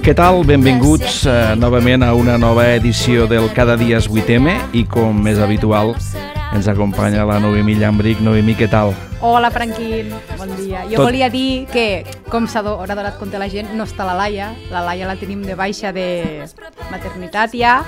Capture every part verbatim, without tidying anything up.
Què tal? Benvinguts uh, novament a una nova edició del Cada dia és vuit eme i com és habitual ens acompanya la Noemí Llambric. Noemí, què tal? Hola, Franquín, bon dia. Jo Tot... volia dir que, com s'ha donat compte la gent, no està la Laia. La Laia la tenim de baixa de maternitat ja,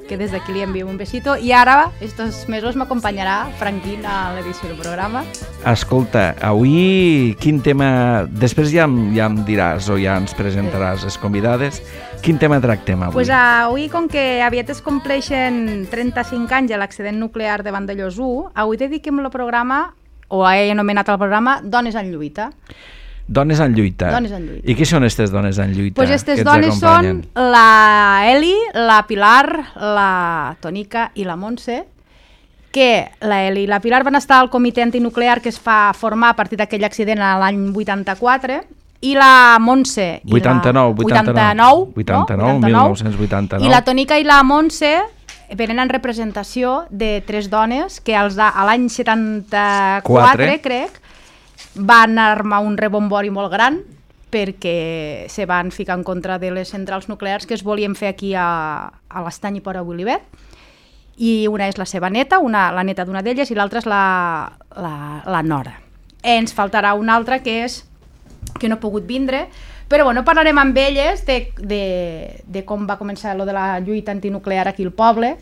que des d'aquí li enviem un besito. I ara, estos mesos, m'acompanyarà Franquín a l'edició del programa. Escolta, avui quin tema... Després ja, ja em diràs o ja ens presentaràs les convidades. Quin tema tractem avui? Pues avui, com que aviat es compleixen trenta-cinc anys de l'accident nuclear de Vandellòs u, avui dediquem el programa, o he anomenat el programa, Dones en lluita. Dones en lluita. Dones en lluita. I qui són aquestes dones en lluita? Pues aquestes dones són la Eli, la Pilar, la Tonica i la Montse, que la Eli i la Pilar van estar al comitè antinuclear que es va formar a partir d'aquell accident l'any vuitanta-quatre, i la Montse... vuitanta-nou, vuitanta-nou, vuitanta-nou, mil nou-cents vuitanta-nou. I la Tonica i la Montse venen en representació de tres dones que als de, a l'any setanta-quatre, crec, van armar un rebombori molt gran perquè se van ficar en contra de les centrals nuclears que es volien fer aquí a, a l'Estany i Port a Willivet. I una és la seva neta, una, la neta d'una d'elles, i l'altra és la, la, la nora. Ens faltarà una altra que és que no ha pogut vindre, però bueno, parlarem amb elles de, de, de com va començar lo de la lluita antinuclear aquí al poble,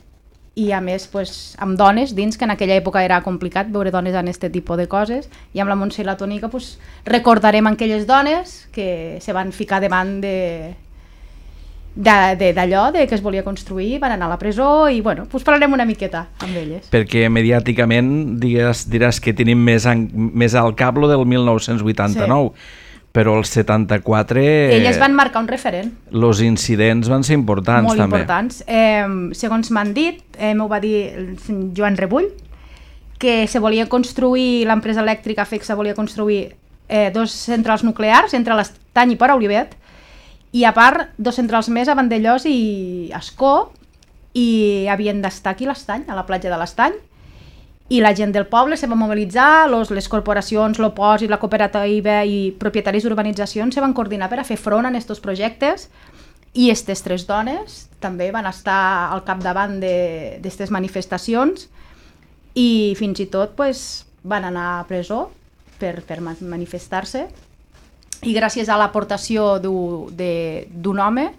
i a més pues, amb dones dins, que en aquella època era complicat veure dones en aquest tipus de coses, i amb la Montse i la Tònica pues, recordarem aquelles dones que se van ficar davant de d'allò de, de que es volia construir, van anar a la presó, i bueno, pues parlarem una miqueta amb elles. Perquè mediàticament digues, diràs que tenim més, en, més al cap lo del mil nou-cents vuitanta-nou, sí. Però el setanta-quatre... Elles van marcar un referent. Els incidents van ser importants, molt també. Molt importants. Eh, segons m'han dit, eh, m'ho va dir Joan Rebull, que se volia construir, l'empresa elèctrica FECSA volia construir eh, dos centrals nuclears entre l'Estany i Port a Olivet, i a part dos centrals més a Vandellòs i Ascó, i havien d'estar aquí a l'Estany, a la platja de l'Estany, i la gent del poble se va mobilitzar, los, les corporacions, l'Opòsit, la cooperativa i propietaris d'urbanitzacions se van coordinar per a fer front a aquests projectes, i aquestes tres dones també van estar al capdavant d'aquestes manifestacions, i fins i tot pues, van anar a presó per, per manifestar-se, i gràcies a l'aportació d'un home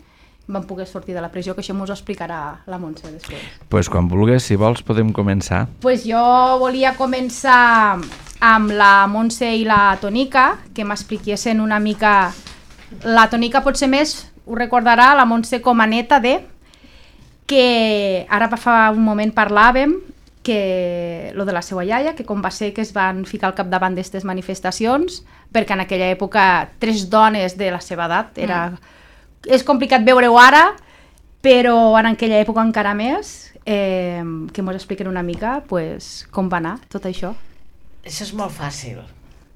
van poder sortir de la presó, que això m'ho explicarà la Montse després. Doncs pues quan vulguis, si vols, podem començar. Pues jo volia començar amb la Montse i la Tonica, que m'expliquessin una mica... La Tonica potser més ho recordarà, la Montse com a neta de... que ara fa un moment parlàvem que lo de la seva iaia, que com va ser que es van ficar al capdavant d'aquestes manifestacions, perquè en aquella època tres dones de la seva edat era... Mm. És complicat veure-ho ara, però en aquella època encara més, eh, que ens expliquen una mica pues, com va anar tot això. Això és molt fàcil.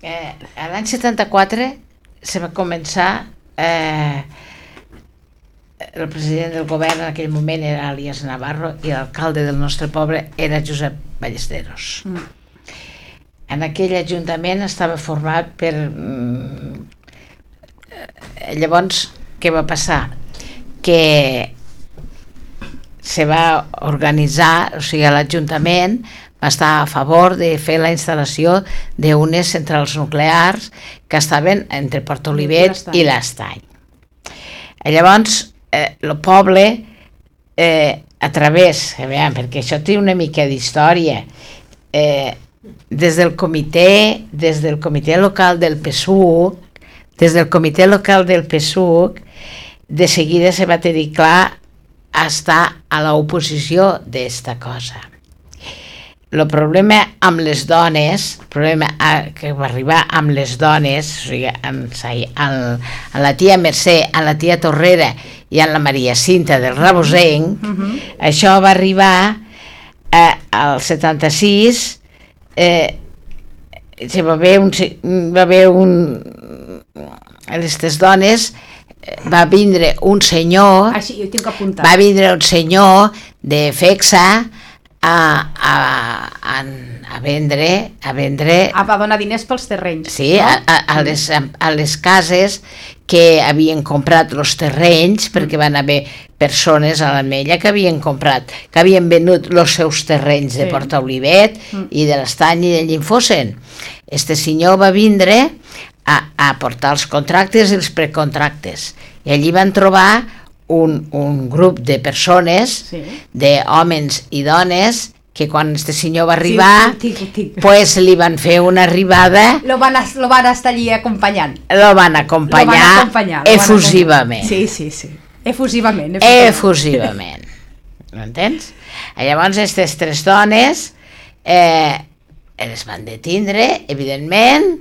Eh, L'any setanta-quatre se va començar, eh, el president del govern en aquell moment era Elias Navarro i l'alcalde del nostre poble era Josep Ballesteros. Mm. En aquell ajuntament estava format per... Mm, llavors, què va passar? Que se va organitzar, o sigui, l'Ajuntament va estar a favor de fer la instal·lació d'unes centrals nuclears que estaven entre Port Olivet i l'Estany. Llavors, eh, el poble, eh, a través, eh, veiem, perquè això té una mica d'història, eh, des del comitè, des del comitè local del P S U C, des del comitè local del P S U C, de seguida se va tenir clar a estar a l'oposició d'esta cosa. El problema amb les dones, el problema que va arribar amb les dones, o sigui, amb, amb, amb la tia Mercè, amb la tia Torrera i amb la Maria Cinta del Rabosenc, uh-huh. Això va arribar eh, al setanta-sis, eh, se va haver un... Va haver un aquestes dones va vindre un senyor, Així, jo tinc apuntat. va vindre un senyor de FECSA a, a, a, a vendre a vendre Ah, va donar diners pels terrenys. sí, no? a, a, a, les, a les cases que havien comprat els terrenys, perquè van haver persones a l'Ametlla que havien comprat, que havien venut els seus terrenys de Sí. Porta Olivet Mm. i de l'Estany i de Llinfosen. Este senyor va vindre a, a portar els contractes i els precontractes, i allí van trobar un, un grup de persones, Sí. d'homes i dones, que quan este senyor va arribar, Sí, tic, tic. pues li van fer una arribada, Lo van, a- lo van estar allí acompanyant. lo van Lo acompanyar, van acompanyar. lo van efusivament. acompanyar. Sí, sí, sí. Efusivament. Efusivament. M'entens? Llavors, aquestes tres dones eh, les van detindre, evidentment,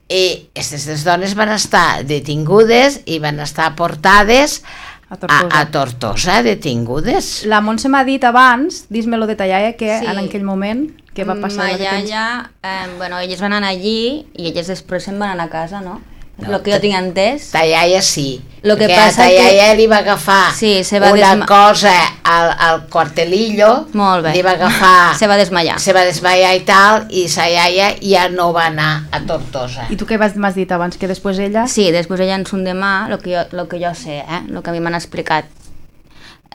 i aquestes tres dones van estar detingudes i van estar portades A a, Tortosa. a Tortosa, detingudes. La Montse m'ha dit abans, dis-me-lo detallar, que Sí. en aquell moment que va passar Ma la detenció. iaia, eh, bueno, elles van anar allí i elles després se'n van anar a casa, no? No, Lo que jo tinc entès. Ta iaia sí, Lo que perquè passa a ta que- iaia li va agafar Sí, se va una desma- cosa al, al cuartelillo, Molt bé. li va agafar, Se va desmaiar. se va desmaiar i tal, i sa iaia ja no va anar a Tortosa. I tu què vas- m'has dit abans? Que després ella... Sí, després ella en son demà, el que jo, lo que jo sé, eh? El que a mi m'han explicat.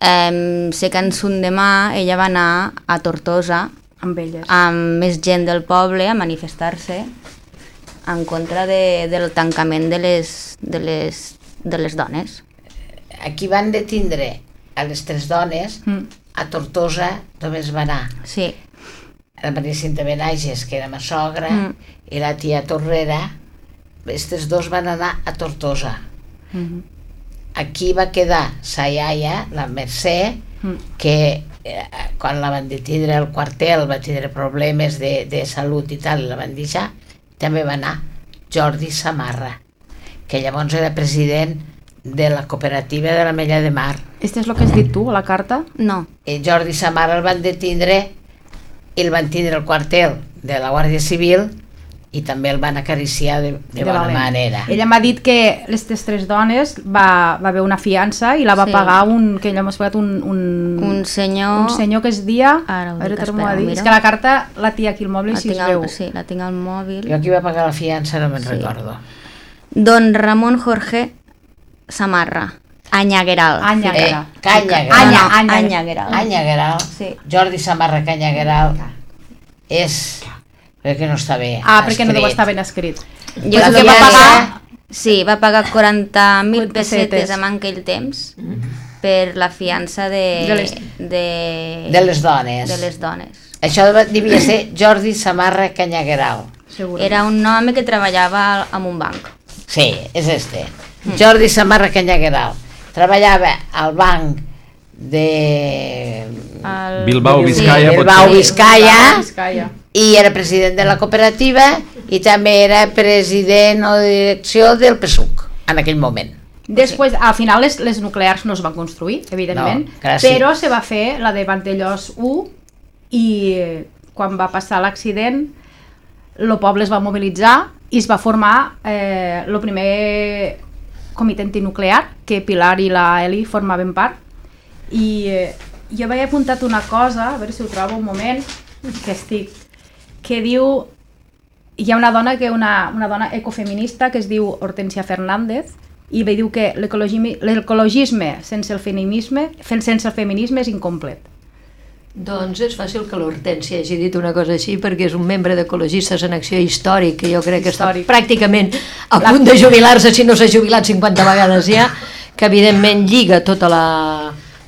Eh, sé que en son demà ella va anar a Tortosa Amb elles. amb més gent del poble a manifestar-se en contra de, del tancament de les, de, les, de les dones. Aquí van detindre a les tres dones, Mm. a Tortosa només va anar Sí, la Maria Cinta Benages, que era ma sogra, Mm. i la tia Torrera. Aquestes dos van anar a Tortosa. Mhm. Aquí va quedar sa iaia, la Mercè, Mm. que eh, quan la van detindre al quartel va tindre problemes de, de salut i tal, i la van deixar. També va anar Jordi Samarra, que llavors era president de la cooperativa de l'Ametlla de Mar. Este és el que has dit tu, a la carta? no. I Jordi Samarra el van detindre i el van tindre al quartel de la Guàrdia Civil i també el van acariciar de, de bona valent. manera. Ella m'ha dit que les tres dones va, va haver una fiança i la va Sí. pagar un, que ella m'ha explicat un, un, Un senyor... un senyor que es dia... Ara ho a veure, dic, torna-m'ho a espera, dir. mira. És que la carta la té aquí al mòbil i La si tinc es al, veu. sí, la tinc al mòbil. Jo qui va pagar la fiança no me'n Sí. recordo. Don Ramon Jorge Samarra, Anyagueral. Anyagueral. Eh, Canyagueral. Anya, No, no, Anya. Anyagueral. Anyagueral. Sí. Jordi Samarra Canyagueral és... Crec que no està bé Ah, perquè no deu escrit. estar ben escrit. Jo La el que va fiança- pagar... Sí, va pagar quaranta mil Pessetes. pessetes en aquell temps per la fiança de... De les- de, De les dones. de les dones. Això devia ser Jordi Samarra Canyagueral. Segur. Era un home que treballava en un banc. Sí, és este. Jordi Samarra Canyagueral. Treballava al banc de... El... Bilbao, Sí. Vizcaya, pot Bilbao, ser. Vizcaya, Vizcaya. i era president de la cooperativa i també era president o direcció del P S U C en aquell moment. Després, al final, les, les nuclears no es van construir, evidentment, No, gràcies. però se va fer la de Vandellós u i eh, quan va passar l'accident el poble es va mobilitzar i es va formar eh, el primer comitè antinuclear, que Pilar i la Eli formaven part. I eh, jo havia apuntat una cosa, a veure si ho trobo un moment, que estic, que diu, hi ha una dona que una, una dona ecofeminista que es diu Hortensia Fernández i ve diu que l'ecologisme l'ecologisme sense el feminisme sense el feminisme és incomplet. Doncs és fàcil que l'Hortènsia hagi dit una cosa així perquè és un membre d'Ecologistes en Acció Històric que jo crec que Històric. està pràcticament a punt de jubilar-se, si no s'ha jubilat cinquanta vegades ja, que evidentment lliga tota la,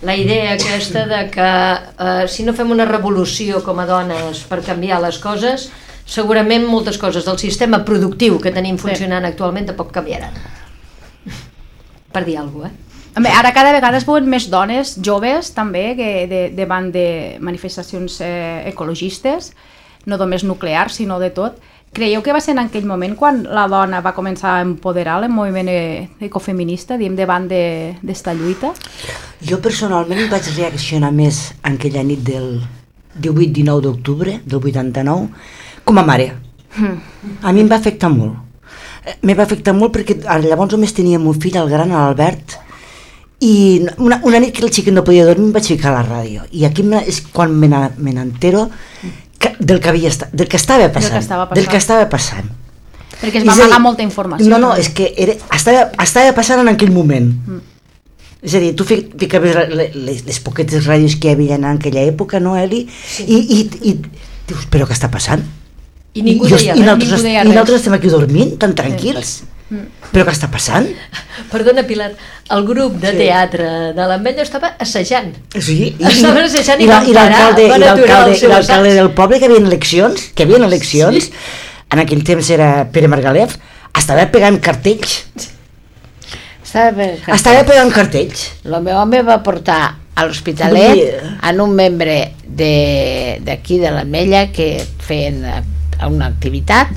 la idea aquesta de que eh, si no fem una revolució com a dones per canviar les coses, segurament moltes coses del sistema productiu que tenim funcionant actualment tampoc canviaran. Per dir alguna cosa, eh? Bé, ara cada vegada es veuen més dones joves també que de, davant de manifestacions eh, ecologistes, no només nuclears sinó de tot. Creieu que va ser en aquell moment quan la dona va començar a empoderar el moviment eh, ecofeminista, diem, davant d'esta de, lluita? Jo personalment vaig reaccionar més en aquella nit del divuit dinou d'octubre del vuitanta-nou com a mare. A mi em va afectar molt. Eh, Me va afectar molt perquè llavors només teníem un fill, el gran, l'Albert, I una, una nit que el xiquet no podia dormir em vaig ficar a la ràdio i aquí és quan me n'entero del que havia estat, del que estava passant, Del que estava passant. del que estava passant. Perquè es va És a dir, amagar molta informació. No, no, és que era, estava, estava passant en aquell moment. Mm. És a dir, tu fi- ficaves les, les, les poquetes ràdios que hi havia en aquella època, no, Eli? Sí. I, i, i dius, però què està passant? I ningú I, deia i, res. nosaltres, ningú deia I res. nosaltres estem aquí dormint, tan tranquils. Sí. Però què està passant? Perdona, Pilar, el grup de Sí. teatre de l'Ametlla estava assajant. Sí, i, Estaven assajant i i la- van i parar, l'alcalde van i aturar l'alcalde el seu i l'alcalde assaig. del poble que havia eleccions, que havia eleccions, Sí. en aquell temps era Pere Margalef, estava pegant cartells. Estava, Estava pegant cartells. el meu home va portar a l'Hospitalet Vull dir- en un membre de- d'aquí de l'Ametlla que feien eh, una activitat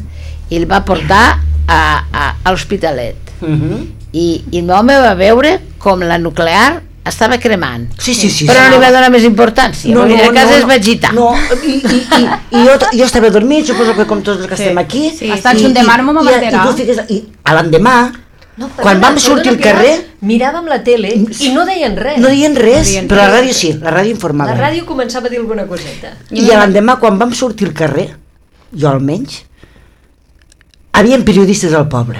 i el va portar a, a, a l'Hospitalet. Uh -huh. I, i el meu home va veure com la nuclear estava cremant. Sí, sí, sí. Però sí. no li va donar més importància, no, perquè a casa es va agitar. No, i, i, i, i jo, jo estava dormint, suposo que com tots els que Sí. estem aquí. Sí, estant un demà no m'ho i, va enterar. I, tu fiques, i a l'endemà, No, quan vam sortir al Pilar, carrer, miràvem la tele i no deien res. no deien res, No deien però la res. ràdio sí, la ràdio informava. La ràdio començava a dir alguna coseta. I a l'endemà, quan vam sortir al carrer, jo almenys, havien periodistes al poble.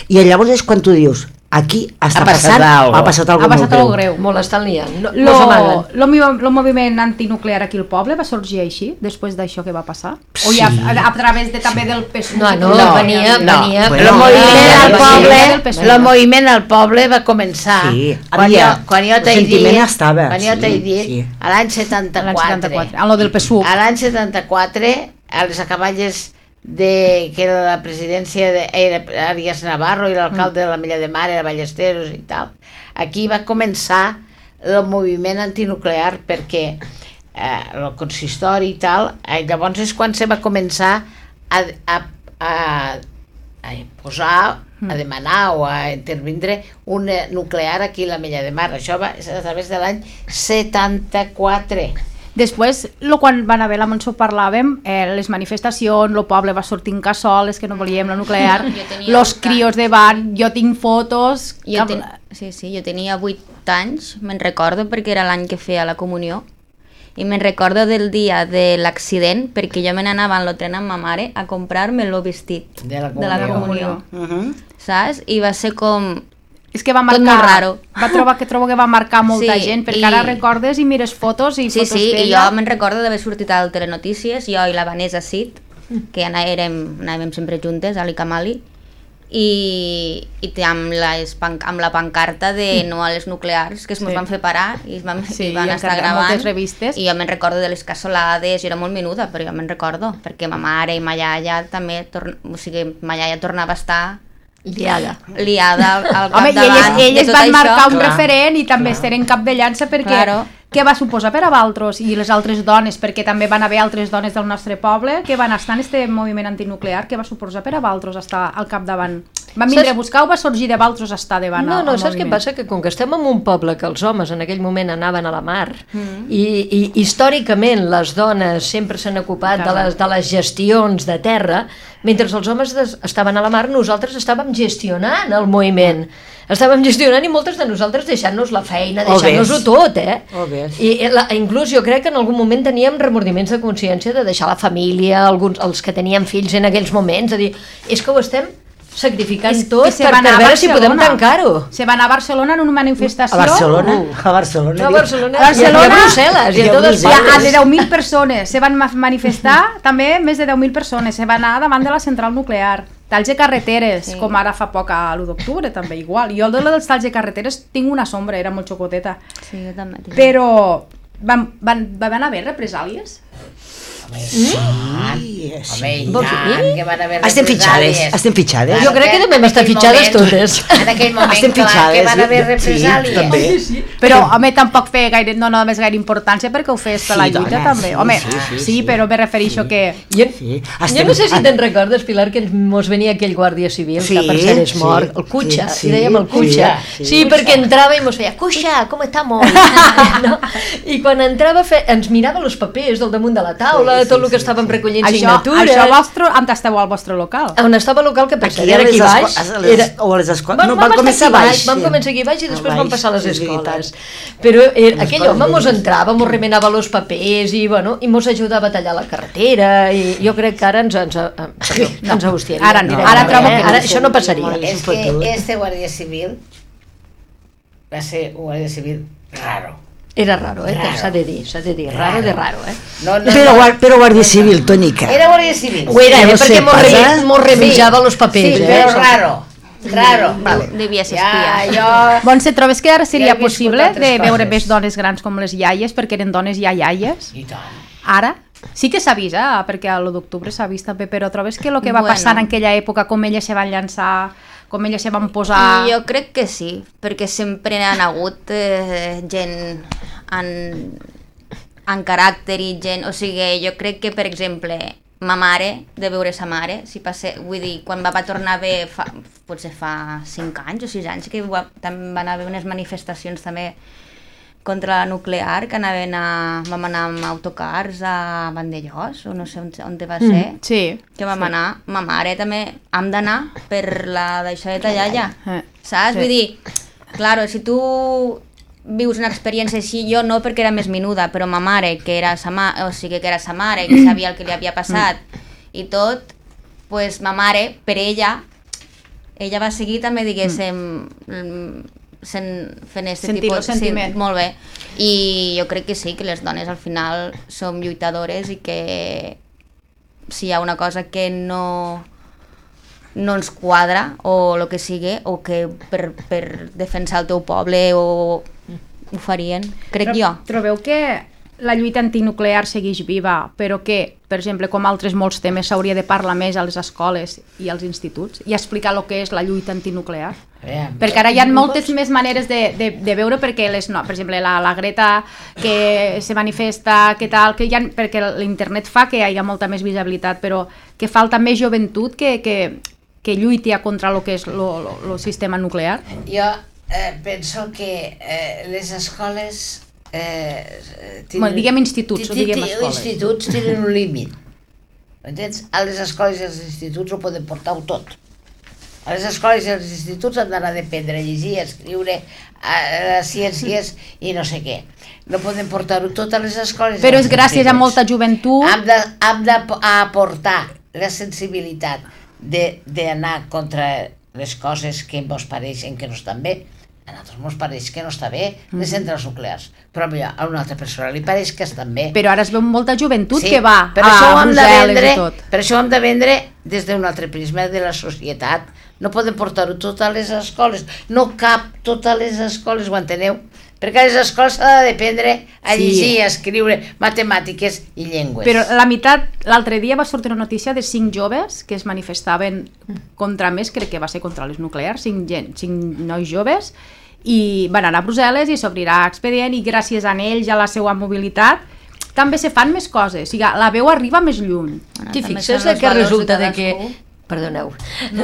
I llavors és quan tu dius, aquí està Ha passat passant, algo. ha passat Ha algo passat molt algo greu. greu. Molt estan liant. No, Lo, no s'amaguen. lo, movi- lo moviment antinuclear aquí al poble va sorgir així, després d'això que va passar? O Sí. ja a, a través de, també del P S U? No, no, No, venia, no. venia... Bueno, El moviment ja, al ja, poble, ja, ja, ja. el moviment al poble va començar Sí, quan, havia- jo, quan jo el t'he sentiment dit, estava, quan jo sí, t'he dit, sí. a l'any setanta-quatre, L'any setanta-quatre, a lo del P S U. a l'any setanta-quatre, a les acaballes de, que era la presidència de era Arias Navarro i l'alcalde de la Mella de Mar era Ballesteros i tal, aquí va començar el moviment antinuclear perquè eh, el consistori i tal, eh, llavors és quan se va començar a, a, a, a posar, a demanar o a intervindre un eh, nuclear aquí a la Mella de Mar. Això va és a través de l'any setanta-quatre. Després, lo, quan van haver la Montsó parlàvem, eh, les manifestacions, el poble va sortir en cassoles, que no volíem la nuclear, Jo tenia los vuit crios anys. davant, jo tinc fotos... Jo, amb- ten... sí, sí, jo tenia vuit anys, me'n recordo, perquè era l'any que feia la comunió, i me'n recordo del dia de l'accident, perquè jo me n'anava en el tren amb ma mare a comprar-me el vestit De la de la comunió. comunió, Uh -huh. saps? I va ser com... És que va Tot marcar... molt raro. Va trobar que trobo que va marcar molta Sí, gent, perquè i- ara recordes i mires fotos i Sí, fotos sí, i d'ella. jo me'n recordo d'haver sortit al Telenotícies, jo i la Vanessa Cid, que ja anàvem, anàvem sempre juntes, Ali Kamali, i, i té amb, les, pan- amb la pancarta de no a les nuclears, que es Sí. mos van fer parar i, es van, Sí, i van i estar encarregar gravant. moltes revistes. I jo me'n recordo de les cassolades, jo era molt menuda, però jo me'n recordo, perquè ma mare i ma iaia també, torn... o sigui, ma iaia tornava a estar Liada. liada al, al Home, i elles, capdavant de elles tot van això. marcar un clar. referent i també eren cap de llança perquè Claro. què va suposar per a vosaltres i les altres dones, perquè també van haver altres dones del nostre poble que van estar en este moviment antinuclear, què va suposar per a vosaltres estar al capdavant? Van vindre Saps- a buscar o va sorgir de vosaltres estar davant No, al- no, al saps què moviment? passa? Que com que estem en un poble que els homes en aquell moment anaven a la mar mm. i, i històricament les dones sempre s'han ocupat de les, de les gestions de terra, mentre els homes des, estaven a la mar, nosaltres estàvem gestionant el moviment. Estàvem gestionant i moltes de nosaltres deixant-nos la feina, O deixant-nos-ho ves. tot, eh? O ves. I eh, la, inclús jo crec que en algun moment teníem remordiments de consciència de deixar la família, alguns, els que tenien fills en aquells moments, de dir, és que ho estem sacrificant És tot que se per, va per anar a veure si podem Barcelona. tancar-ho. Se va anar a Barcelona en una manifestació. A Barcelona, a Barcelona. No, a diu. Barcelona, A Barcelona i a Brussel·les, i a i a totes Brussel·les. Hi ha partes. de deu mil persones, se van ma- manifestar també més de deu mil persones, se va anar davant de la central nuclear. Talls de carreteres, Sí. com ara fa poc a l'u d'octubre també, igual. Jo el de dels talls de carreteres tinc una sombra, era molt xocoteta. Sí, jo també. tinc. Però van, van, van haver represàlies? Sí, sí. Home, i Vols tant, dir? que van haver Estem fitxades, represàlies. estem fitxades. Jo crec que també hem en estat aquell fitxades moment- totes. En aquell moment, Estem clar, fitxades, que van haver sí, represàlies. també. Però, home, tampoc feia gaire, no només gaire importància perquè ho feies per Sí, la lluita, dona, també. sí, Home, sí, sí, sí, sí, sí. però me refereixo que... Jo, Sí, jo estem- no sé si te'n recordes, Pilar, que ens mos venia aquell guàrdia civil, Sí, que per cert és sí, mort, el Cucha, sí, li dèiem el sí, Cucha. sí, Sí, sí. perquè entrava i mos feia, Cucha, com estamos? No? I quan entrava fe... ens mirava els papers del damunt de la taula, tot el que estàvem recollint Això, signatures. això vostre, on esteu al vostre local? On estava el local que per Aquí cert era a les aquí baix. esco- a les- Era... o a les escoles. Vam, No, vam van començar estar aquí baix, Vam sí. començar aquí baix i A després baix, vam passar a les és veritat. escoles. Però era, aquell escoles home mos velles. entrava, mos remenava els papers i, bueno, i mos ajudava a tallar la carretera i jo crec que ara ens, ens, ens, ens abustiaria. Ara no, directament, ara eh? trobo que no. Ara això no passaria. És que este guàrdia civil va ser un guàrdia civil raro. Era raro, eh? Raro. S'ha de dir, s'ha de dir, raro de raro, eh? No, no, Però, no. guar- però Guàrdia Civil, Tonica. Era guàrdia civil. Ho era, Ja eh? no Perquè sé, mos, passa. re, mos remitjava els papers, Sí, eh? però raro. Raro. Vale. Devia ser Ja, espia. jo... Montse, trobes que ara Ja seria he viscut possible altres de veure coses. més dones grans com les iaies, perquè eren dones ja iaies? I tant. Ara? Sí que s'ha vist, eh? perquè a l'u d'octubre s'ha vist també, però trobes que el que va Bueno. passar en aquella època, com elles se van llançar, com elles se van posar... Jo crec que sí, perquè sempre han hagut eh, gent en, en caràcter i gent... O sigui, jo crec que, per exemple, ma mare, de veure sa mare, si passe, vull dir, quan va, va tornar a haver, fa, potser fa cinc anys o sis anys, que va, també van haver unes manifestacions també contra la nuclear, que anaven a, vam anar amb autocars a Vandellós, o no sé on, on va ser, Mm, sí. que vam anar, ma mare també, hem d'anar per la d'això de tallar ja, Eh, saps? sí. Vull dir, claro, si tu vius una experiència així, jo no perquè era més menuda, però ma mare, que era sa, ma o sigui, que era sa mare, que sabia el que li havia passat i tot, pues ma mare, per ella, ella va seguir també, diguéssim, mm. sent, fent aquest Sentir tipus... el sentiment. Sí, molt bé. I jo crec que sí, que les dones al final som lluitadores i que si hi ha una cosa que no no ens quadra o el que sigui, o que per, per defensar el teu poble o ho farien, crec Tro- jo. Trobeu que la lluita antinuclear segueix viva, però que, per exemple, com altres molts temes, s'hauria de parlar més a les escoles i als instituts i explicar el que és la lluita antinuclear? Perquè ara hi ha moltes més maneres de, de, de veure, perquè les, no, per exemple la, la Greta que se manifesta, que tal, que hi ha, perquè l'internet fa que hi hagi molta més visibilitat, però que falta més joventut que, que, que lluiti a contra el que és el sistema nuclear. Jo eh, penso que eh, les escoles... Eh, Bueno, diguem instituts, o diguem escoles. instituts tenen un límit. Entens? A les escoles i als instituts ho poden portar-ho tot. A les escoles i als instituts han d'anar a aprendre a llegir, a escriure, a, a ciències i no sé què. No poden portar-ho tot a les escoles. Però és gràcies a molta joventut. Hem de, hem d'aportar la sensibilitat d'anar contra les coses que ens pareixen que no estan bé. A nosaltres ens pareix que no està bé les centrals nuclears, però a una altra persona li pareix que estan bé. Però ara es veu molta joventut Sí, que va per a això ho hem de Brussel·les vendre, i tot. per això ho hem de vendre des d'un altre prisma de la societat. No podem portar-ho tot a les escoles, no cap tot a les escoles, ho enteneu? Perquè a les escoles s'ha d'aprendre a Sí. llegir, a escriure matemàtiques i llengües. Però la meitat, l'altre dia va sortir una notícia de cinc joves que es manifestaven contra més, crec que va ser contra les nuclears, cinc, gent, cinc nois joves, i van anar a Brussel·les i s'obrirà expedient i gràcies a ells, a la seva mobilitat, també se fan més coses, o sigui, la veu arriba més lluny. Bueno, T'hi també fixes són de els que valors resulta de de que... cadascú. Perdoneu.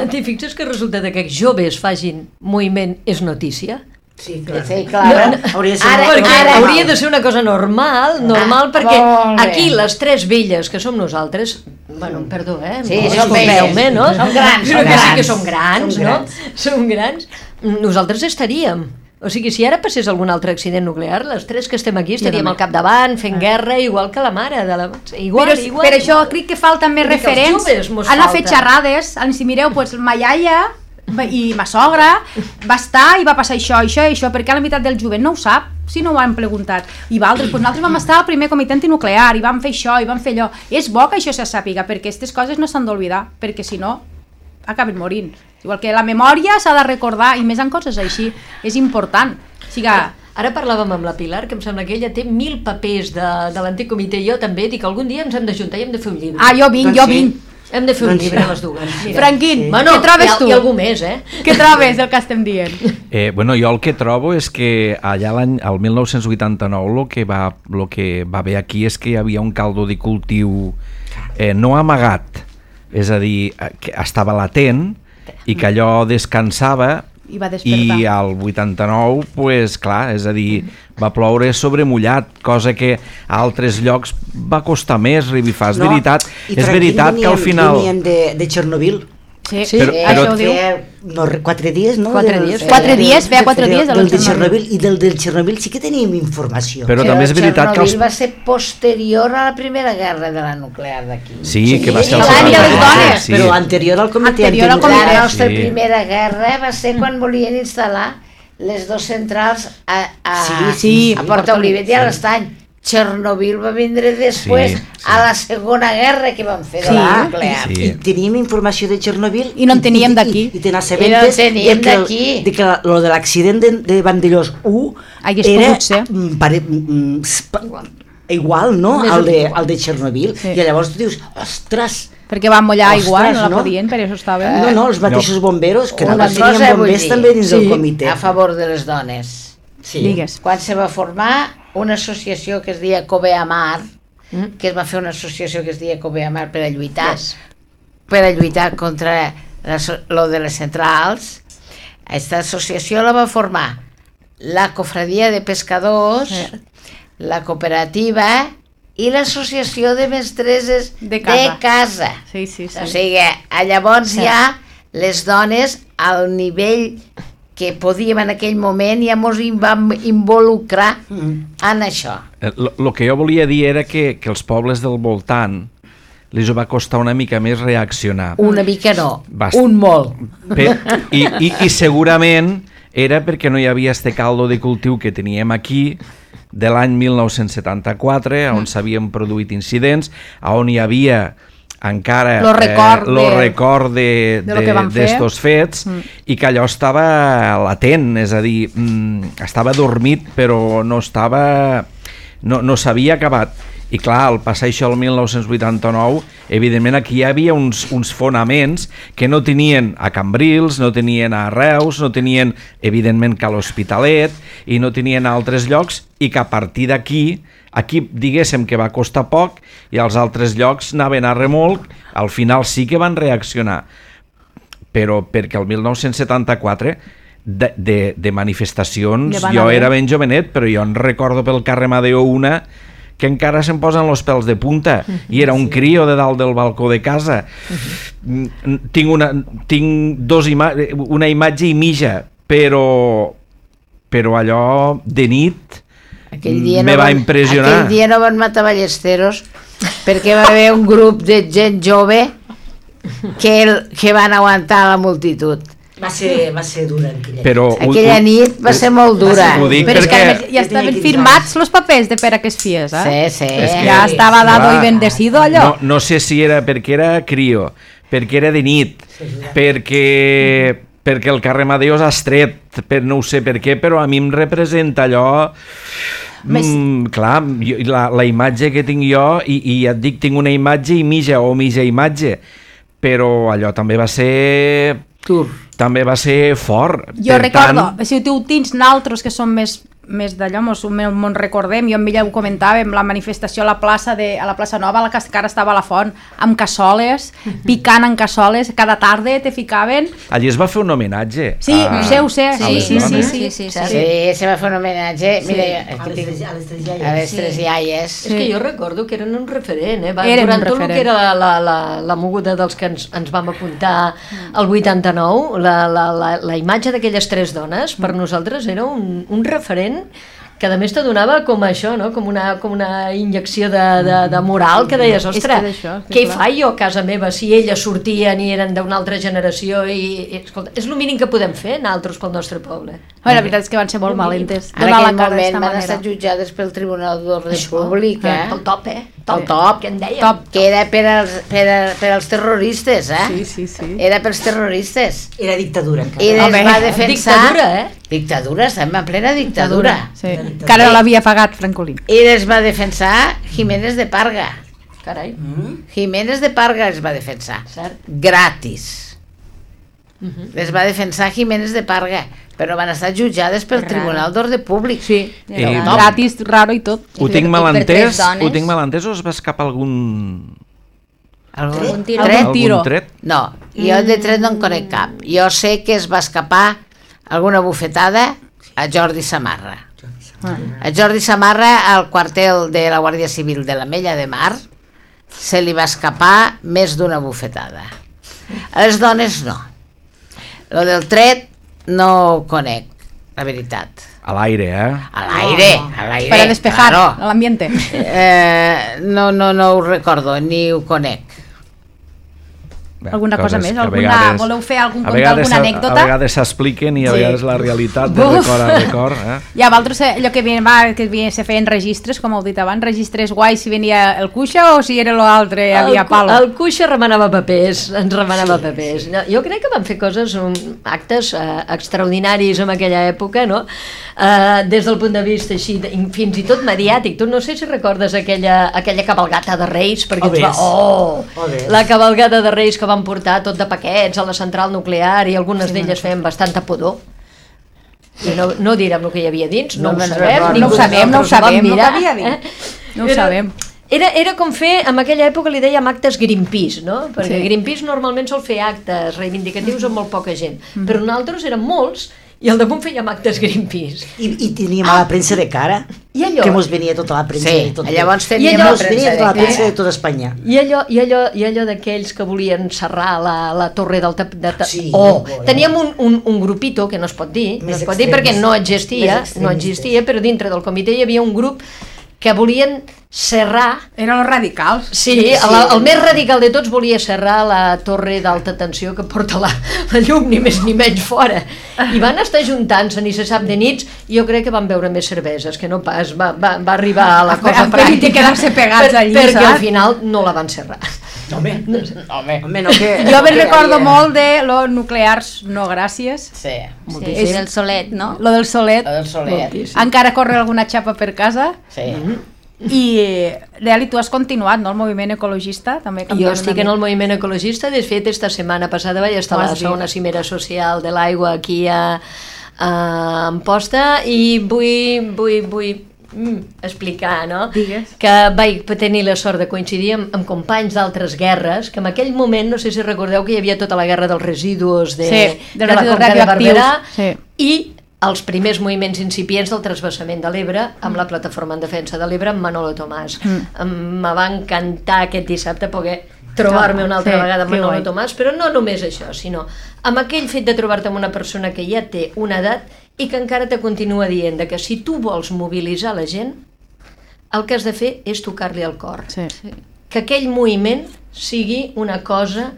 T'hi fixes que resulta de que joves facin moviment és notícia? Sí, clar. Sí, clar. No, hauria de ser Ara- molt Perquè ara- hauria de ser una cosa normal, normal, perquè molt bé. aquí les tres velles que som nosaltres, bueno, perdó, eh? Sí, no, som disculpeu-me, velles. no? Som grans, Però som que sí que grans. som grans, Som no? grans. Som grans. Nosaltres estaríem. O sigui, si ara passés algun altre accident nuclear, les tres que estem aquí estaríem al capdavant, fent guerra, igual que la mare de la... Igual, Però, igual. per això crec que falten més Vull dir que els referents. joves mos Han fet falta. xerrades, si mireu, doncs, ma iaia i ma sogra va estar i va passar això, això i això, perquè la meitat del jovent no ho sap, si no ho han preguntat. I altres, doncs nosaltres vam estar al primer comitè antinuclear i vam fer això i vam fer allò. És bo que això se sàpiga, perquè aquestes coses no s'han d'oblidar, perquè si no acaben morint. Igual que la memòria s'ha de recordar, i més en coses així, és important. O sigui, Ara parlàvem amb la Pilar, que em sembla que ella té mil papers de, de l'antic comitè, i jo també, dic que algun dia ens hem d'ajuntar i hem de fer un llibre. ah, jo vinc, Doncs jo sí. vinc. Hem de fer un Doncs llibre sí. les dues. Mira. Franquín, Bueno, què trobes hi ha, tu? Hi ha algú més, eh? Què trobes del que estem dient? Eh, bueno, jo el que trobo és que allà l'any, el mil nou-cents vuitanta-nou, el que, va, lo que va haver aquí és que hi havia un caldo de cultiu eh, no amagat, és a dir, eh, que estava latent i que allò descansava i va despertar. I al vuitanta-nou, pues, clar, és a dir, va ploure sobre mullat, cosa que a altres llocs va costar més revifar. És No, veritat, i és tranquil veritat que al veníem- final... Veníem de, de Chernobyl. Sí, Sí, Però- això però- ho diu. Feia, no, quatre dies, no? Quatre Del- dies, feia- quatre dies, feia quatre dies de del de Chernobyl. Chernobyl. I del del Chernobyl sí que teníem informació. Però també és veritat que els... Chernobyl va ser posterior a la primera guerra de la nuclear d'aquí. Sí, que va ser el l'any de les setanta-quatre, dones, sí. Però anterior al comitè. Anterior al anterior. comitè. La nostra Sí. primera guerra va ser quan volien instal·lar les dues centrals a, a, Sí, sí, a Porta Olivet i a l'Estany. Chernobyl va vindre després Sí, sí. a la segona guerra que van fer de Sí. la nuclear. Sí. I teníem informació de Chernobyl I no en teníem i- d'aquí. i, i, i te I no en teníem de que, d'aquí. de que lo de l'accident de, de Vandellós u Hagués era pogut ser. mm, pare, mm, sp- igual, no? Més Al de, igual. al de Chernobyl. Sí. I llavors tu dius, ostres, Perquè van mullar Ostres, igual, no la no? podien, per això estava... no, no, els mateixos bomberos, que Una nosaltres cosa teníem vull bombers dir, també dins del sí, comitè. A favor de les dones. Sí. Digues. Quan se va formar una associació que es deia Cobeamar, mm. que es va fer una associació que es deia Cobeamar per a lluitar, Yes. per a lluitar contra la, lo de les centrals. Aquesta associació la va formar la cofradia de pescadors, Eh. la cooperativa i l'associació de mestresses De casa. de casa. Sí, sí, sí. O sigui, a llavors Sí. ja les dones al nivell que podíem en aquell moment ja mos hi vam involucrar Mm. en això. El que jo volia dir era que, que els pobles del voltant li va costar una mica més reaccionar. Una mica no, Bast- un molt. Per, i, i, I segurament era perquè no hi havia este caldo de cultiu que teníem aquí de l'any mil nou-cents setanta-quatre, on s'havien produït incidents, on hi havia encara Lo record eh, lo de- record de, de lo que van fer. d'estos fets, Mm. i que allò estava latent, és a dir, mm, estava dormit però no estava no, no s'havia acabat. I clar, al passar això el mil nou-cents vuitanta-nou, evidentment aquí hi havia uns, uns fonaments que no tenien a Cambrils, no tenien a Reus, no tenien, evidentment, que a l'Hospitalet, i no tenien a altres llocs, i que a partir d'aquí, aquí diguéssim que va costar poc, i als altres llocs anaven a remolc, al final sí que van reaccionar. Però perquè el mil nou-cents setanta-quatre de, de, de manifestacions, Ja van jo haver. era ben jovenet, però jo en recordo pel carrer Madeo una que encara se'm posen els pèls de punta, i era un crio de dalt del balcó de casa. Mm, tinc una, tinc dos ima una imatge i mitja, però però allò de nit Aquell dia me no va van, impressionar. Aquell dia no van matar ballesteros perquè va haver un grup de gent jove que, el, que van aguantar la multitud. Va ser, va ser dura aquella Però ho- Aquella ho- nit va ser molt dura. Ho dic Però és que perquè... a més ja estaven quinze firmats els papers de per a que es fies, eh? Sí, sí. És que- Ja estava dado Clar. i bendecido allò. No, no sé si era perquè era crio, perquè era de nit, perquè, perquè el carrer Madeo és estret, per, no ho sé per què, però a mi em representa allò... Més- Mm, clar, jo, la, la imatge que tinc jo, i, i ja et dic, tinc una imatge i mitja, o mitja imatge, però allò també va ser... Tur. També va ser fort. Jo Per recordo, tant, si tu ho tens naltros que som més més d'allò, mos, mos recordem, jo amb ella ho comentàvem, la manifestació a la plaça de, a la plaça Nova, a la que encara estava a la font, amb cassoles, picant en cassoles, cada tarda te ficaven. allí es va fer un homenatge. Sí, a- ho sé, ho sé, a sí, les sí, sí, dones. sí, sí, sí, Sí, se va fer un homenatge. Mira, A aquí les tinc- tres, a les tres a iaies. les tres iaies. És que jo recordo que eren un referent, eh? Va, Eren durant un tot el referent. que era la, la, la, la moguda dels que ens, ens vam apuntar al vuitanta-nou, la, la, la, la imatge d'aquelles tres dones, per nosaltres era un, un referent que a més te donava com això, no? com, una, com una injecció de, de, de moral, que deies, És que ostres, d'això, sí, què clar. fa jo a casa meva si elles sortien i eren d'una altra generació i, i escolta, és el mínim que podem fer nosaltres pel nostre poble. Bueno, la veritat és que van ser molt valentes. En Donar aquell la cara moment d'esta van manera. estar jutjades pel Tribunal d'Ordre Això, Públic, eh? El top, eh? Top, El top. que en dèiem. Top. Que era per als, per, a, per als terroristes, eh? Sí, sí, sí. Era pels terroristes. Era dictadura encara. I les Home, va defensar... dictadura, eh? Dictadura, estem en plena dictadura. Sí. Encara no l'havia pagat Francolí. I les va defensar Jiménez de Parga. Carai. Mm? Jiménez de Parga les va defensar. Cert. Gratis. Les va defensar Jiménez de Parga, però van estar jutjades pel Raro. Tribunal d'Ordre Públic. Sí, Eh, no. Gratis, raro i tot. Ho I tinc per- mal i per tres entès, dones. ho tinc mal entès, o es va escapar algun... Algun Algun tiro. tret? Algun tiro. Algun tret? No, jo de tret no en conec cap. Jo sé que es va escapar alguna bufetada a Jordi Samarra. A Jordi Samarra, al quartel de la Guàrdia Civil de l'Ametlla de Mar, se li va escapar més d'una bufetada. A les dones no. Lo del tret no ho conec, la veritat. A l'aire, eh? A l'aire, a l'aire. Para despejar claro. l'ambiente. Eh, no, no, no ho recordo, ni ho conec. Bé, Alguna cosa coses més? que a Alguna, vegades- voleu fer algun a conte, vegades alguna a- anècdota? A vegades s'expliquen i a Sí. vegades la realitat de record a record. Eh? I a vosaltres allò que, vi- va, que vi- se feien registres, com heu dit abans, registres guais si venia el cuixa o si era l'altre, hi havia El, cu- palo? el cuixa remenava papers, ens remenava sí. papers. No, jo crec que van fer coses, um, actes uh, extraordinaris en aquella època, no? Uh, des del punt de vista així, de, fins i tot mediàtic. Tu no sé si recordes aquella, aquella cabalgata de Reis, perquè Oh, ens va... ves. Oh, Oh, ves. la cabalgata de Reis que van portar tot de paquets a la central nuclear i algunes sí, d'elles feien bastanta pudor. I no, no direm el que hi havia dins, no, No ho me'n sabem, recordo. ningú No ho sabem, no ho nosaltres ho vam sabem, no mirar, cabia dir. eh? No ho Era- sabem. Era, era com fer, en aquella època li dèiem actes Greenpeace, no? Perquè Sí. Greenpeace normalment sol fer actes reivindicatius amb molt poca gent, però nosaltres érem molts i al damunt fèiem actes Greenpeace. I, i teníem a la premsa de cara, I allò- que mos venia tota la premsa Sí, de tot. llavors I teníem allò- la Mos venia premsa tota la de premsa cara. de tota Espanya. I allò, i allò, i allò d'aquells que volien serrar la, la torre del... Tap, de ta... Sí, oh, bueno. teníem un, un, un grupito, que no es pot dir, no Més es pot dir extremis. perquè no existia, Més no extremistes. existia, però dintre del comitè hi havia un grup que volien serrar. Eren els radicals. Sí, sí. El, el més radical de tots volia serrar la torre d'alta tensió que porta la, la llum, ni més ni menys fora. I van estar juntant-se, ni se sap de nits, i jo crec que van beure més cerveses, que no pas, va, va, va arribar a la cosa Han preferit pràctica. quedar-se pegats allí, perquè saps? al final no la van serrar. Home, Home, home, no que... Jo no me'n que recordo havia- molt de los nuclears no gràcies, sí, Sí, és el solet, no? lo del solet. el Soler. Encara corre alguna xapa per casa. Sí. I, Reali, tu has continuat, no?, el moviment ecologista, també. Jo estic en el moviment ecologista, de fet, esta setmana passada vaig estar Ho a has la dit. segona cimera social de l'aigua aquí a, a Amposta i vull, vull, vull mm, explicar, no? Digues. Que vaig tenir la sort de coincidir amb, amb companys d'altres guerres, que en aquell moment, no sé si recordeu que hi havia tota la guerra dels residus de, Sí, dels de la residus Conca de radioactius, Barberà sí. i els primers moviments incipients del transvasament de l'Ebre amb la Plataforma en Defensa de l'Ebre amb Manolo Tomàs. Mm. Me va encantar aquest dissabte poder trobar-me una altra Sí, vegada amb que Manolo guai. Tomàs, però no només això, sinó amb aquell fet de trobar-te amb una persona que ja té una edat i que encara te continua dient de que si tu vols mobilitzar la gent, el que has de fer és tocar-li el cor. Sí. Que aquell moviment sigui una cosa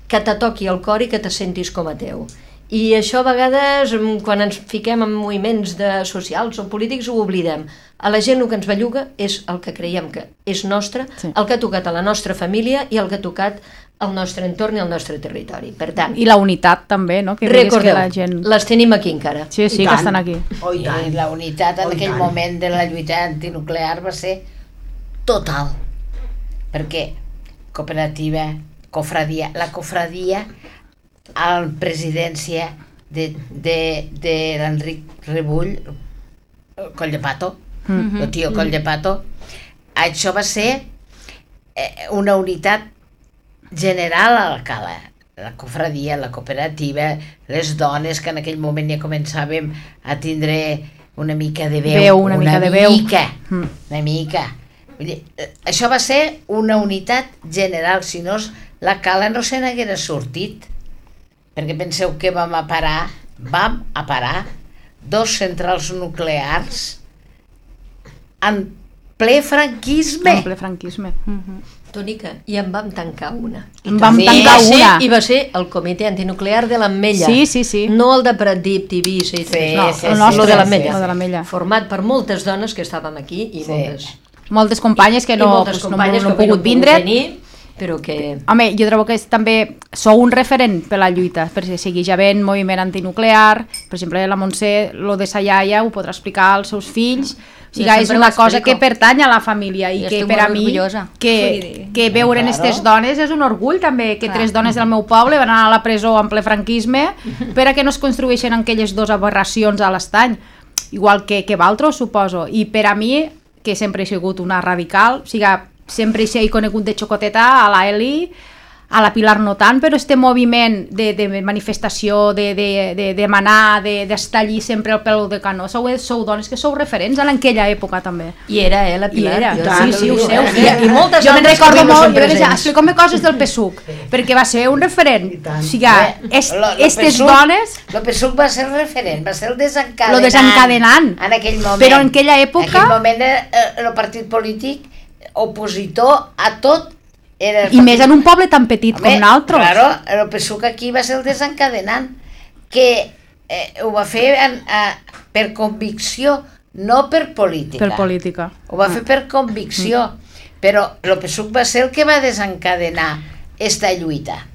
que te toqui el cor i que te sentis com a teu. I això a vegades, mm, quan ens fiquem en moviments de socials o polítics, ho oblidem. A la gent el que ens belluga és el que creiem que és nostre, Sí. el que ha tocat a la nostra família i el que ha tocat al nostre entorn i al nostre territori. Per tant, I la unitat també, no? Que digues recordeu, que la gent... les tenim aquí encara. Sí, sí, I que tant. estan aquí. Oh, i I tant. la unitat en Oh, i aquell tant. moment de la lluita antinuclear va ser total. Perquè cooperativa, cofradia, la cofradia a la presidència de, de, de l'Enric Rebull, Coll de Pato, mm -hmm. el tio Coll de Pato, això va ser eh, una unitat general a la cala. La cofradia, la cooperativa, les dones que en aquell moment ja començàvem a tindre una mica de veu, Veu, una mica de veu. mica, Mm. una mica. Vull dir, eh, això va ser una unitat general, si no la cala no se n'haguera sortit, perquè penseu que vam a parar, vam a parar dos centrals nuclears en ple franquisme. En ple franquisme. Mhm. Tònica, i en vam tancar una. En vam també. tancar I va ser, una. I va ser el comitè antinuclear de l'Ametlla. Sí, sí, sí. No el de Pratdip, Tivissa i Sí, sí, No, sí, el sí, nostre, lo de sí, l'Ametlla. lo de l'Ametlla. Format per moltes dones que estàvem aquí i Sí. moltes, Moltes companyes que i no, moltes pues, no, companyes no, no que han pogut vindre. venir, però que... Home, jo trobo que és, també sou un referent per la lluita, perquè segueix havent moviment antinuclear, per exemple, la Montse, lo de sa iaia, ho podrà explicar als seus fills, o sigui, Jo és sempre una ho cosa explico. que pertany a la família i Jo que estic per a molt mi, orgullosa. que, que veure'n Claro. aquestes dones és un orgull també, que Clar. tres dones del meu poble van anar a la presó en ple franquisme per a que no es construeixen aquelles dues aberracions a l'estany, igual que, que Valtros, suposo, i per a mi, que sempre he sigut una radical, o sigui, sempre he conegut de xocoteta a la Eli, a la Pilar no tant, però este moviment de, de manifestació, de, de, de demanar, de, d'estar allí sempre al peu de canó, sou, sou dones que sou referents en aquella època també. I era, eh, la Pilar? I era, Jo sí, sí, ho sé, ho sé. I, i moltes jo me'n altres recordo que no molt, són jo vaig presents. explicar-me coses del P S U C, perquè va ser un referent. O sigui, est, Lo- lo estes P S U C dones... El P S U C va ser el referent, va ser el desencadenant. Lo desencadenant. En aquell moment. Però en aquella època- En aquell moment era el partit polític opositor a tot. Era el I més partit- en un poble tan petit Home, com nosaltres. Claro, el P S U C aquí va ser el desencadenant, que eh, ho va fer en, eh, per convicció, no per política. Per política. Ho va fer per convicció, però el P S U C va ser el que va desencadenar esta lluita.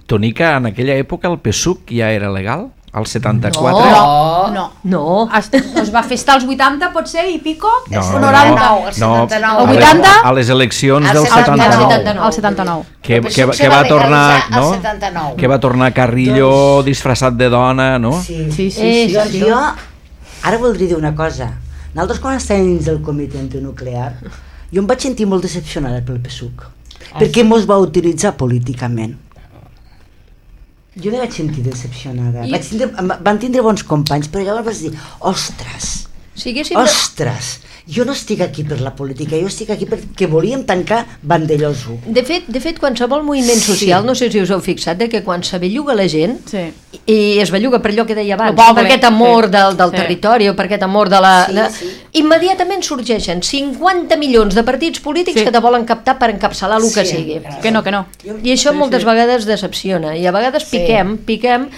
Tonica, en aquella època el P S U C ja era legal? Al setanta-quatre? No. No. No. Es, es va fer estar als vuitanta, potser, i pico? No, o no, noranta? no, el setanta-nou. El a les- vuitanta? A les eleccions Al del setanta-nou. setanta-nou. Al setanta-nou. Que, El P S que, U C que se va va tornar, legalitzar al no? setanta-nou. Que va tornar Carrillo disfressat de dona, no? Sí, Sí, sí, Eh, sí. Doncs sí. jo ara voldria dir una cosa. Nosaltres quan estàvem dins del comitè antinuclear, jo em vaig sentir molt decepcionada pel P S U C, perquè mos va utilitzar políticament. Jo me vaig sentir decepcionada. I- Vaig tindre, em- van tindre bons companys, però llavors vaig dir, ostres, Si haguéssim de... ostres, jo no estic aquí per la política, jo estic aquí perquè volíem tancar Vandellós u. De fet, de fet, qualsevol moviment Sí. social, no sé si us heu fixat, de que quan se belluga la gent, Sí. i es belluga per allò que deia abans, El poble, per aquest amor sí. del, del Sí. territori o per aquest amor de la... Sí, de... sí. Immediatament sorgeixen cinquanta milions de partits polítics Sí. que te volen captar per encapçalar el que Sí. sigui. Que no, que no. I això moltes vegades decepciona, i a vegades Sí. piquem, piquem,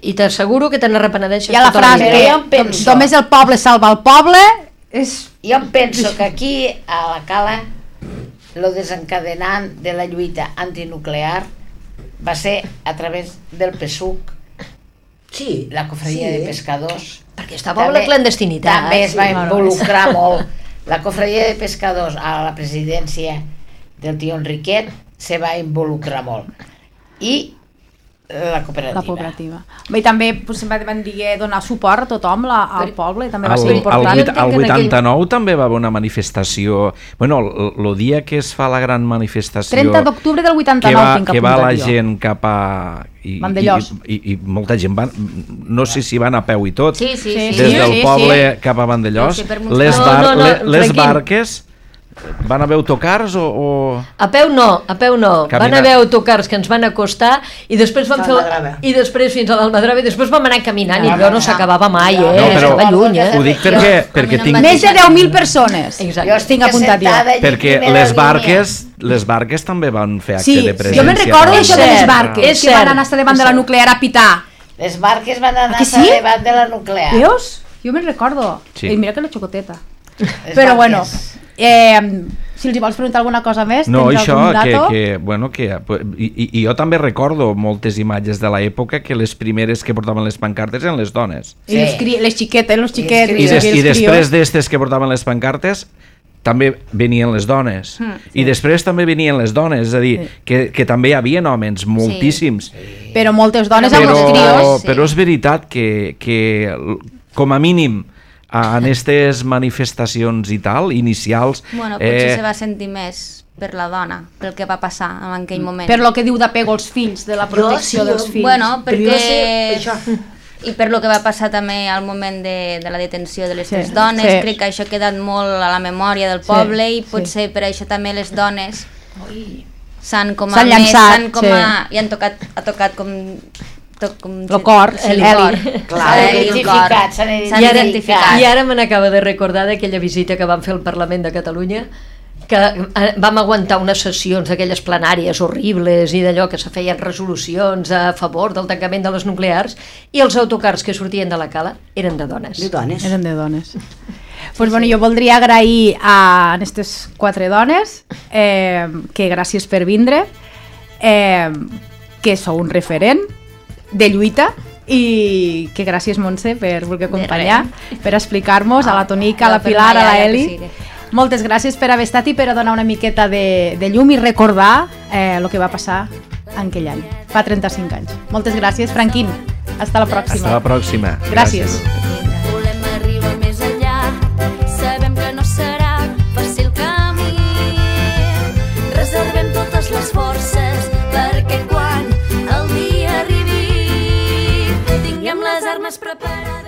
i t'asseguro que te n'arrepenedeixes Hi ha la tota frase, vida. Però eh? jo em penso- Només el poble salva el poble, és... Jo em penso que aquí, a la Cala, lo desencadenant de la lluita antinuclear va ser a través del P S U C, Sí. la cofradia sí. de pescadors. Perquè estava en la clandestinitat. També es va Sí, involucrar molt. La cofradia de pescadors a la presidència del tio Enriquet se va involucrar molt. I la cooperativa. La cooperativa. Bé, I també pues, van dir donar suport a tothom, la, al poble, també va Al, ser al, important. vuit- entenc al que en aquell- vuitanta-nou també va haver una manifestació, bueno, el, el dia que es fa la gran manifestació, trenta d'octubre del que vuitanta-nou va, tinc que va la apuntat jo. gent cap a... I, Vandellós. i, i, i molta gent van, no sé si van a peu i tot, Sí, sí, sí. des sí, del sí, poble cap a Vandellós, Sí, sí, per molts les, No, bar, no, no, le- les Franquín. barques van haver autocars o... o... A peu no, a peu no. Caminar. Van haver autocars que ens van acostar i després vam fer... L'Almadrava. I després fins a l'Almadrava i després vam anar caminant i allò no s'acabava mai, eh? No, però- Estava lluny, eh? Ho dic perquè, perquè tinc... Més de deu mil persones. Exacte. Jo estic Tinc apuntat jo. assentada allí Perquè primera les línia. barques, les barques també van fer acte Sí, de presència. jo me'n recordo no? això de les cert, barques, és que van cert, anar a davant és de la cert. nuclear a pitar. Les barques van anar Aquí sí? a davant de la nuclear. Veus? Jo me'n recordo. Sí. I mira que la xocoteta. Les Però barques. bueno, eh, si els hi vols preguntar alguna cosa més, No, tens això, algun que, dato? que, bueno, que, i, i, i jo també recordo moltes imatges de l'època que les primeres que portaven les pancartes eren les dones. I les, cri les xiquetes, els xiquets, I, I des, els i després crios. d'estes que portaven les pancartes també venien les dones. I després també venien les dones, és a dir, que, que també hi havia homes, moltíssims. Però moltes dones amb Però, els crios. sí. però és veritat que, que com a mínim a- en aquestes manifestacions i tal, inicials... Bueno, potser eh, se va sentir més per la dona, pel que va passar en aquell moment. Per lo que diu d'apego als fills, de la protecció sí, dels jo- fills. Bueno, Però jo perquè... sé això. I per lo que va passar també al moment de, de la detenció de les Sí, tres dones, sí. crec que això ha quedat molt a la memòria del Sí, poble i sí. potser per això també les dones s'han com a S'han més, llançat, s'han com sí. a, i han tocat, ha tocat com, to, com Lo cor, el Eli. cor. Clar, Eli, s'han el identificat, cor. s'han S'han I ara, identificat. I ara me n'acaba de recordar d'aquella visita que vam fer al Parlament de Catalunya, que eh, vam aguantar unes sessions d'aquelles plenàries horribles i d'allò que se feien resolucions a favor del tancament de les nuclears i els autocars que sortien de la cala eren de dones. De dones. Eren de dones. Pues bueno, jo voldria agrair a aquestes quatre dones eh, que gràcies per vindre, eh, que sou un referent de lluita i que gràcies Montse per voler acompanyar, per explicar-nos a la Tonica, a la per Pilar, a la allà, ja Eli. que sigui. Moltes gràcies per haver estat i per a donar una miqueta de, de llum i recordar eh, el que va passar en aquell any, fa trenta-cinc anys. Moltes gràcies, Franquín. Hasta la pròxima. Hasta la pròxima. Gràcies. Volem arribar més enllà, sabem que no serà fàcil camí. Reservem totes les forces perquè separades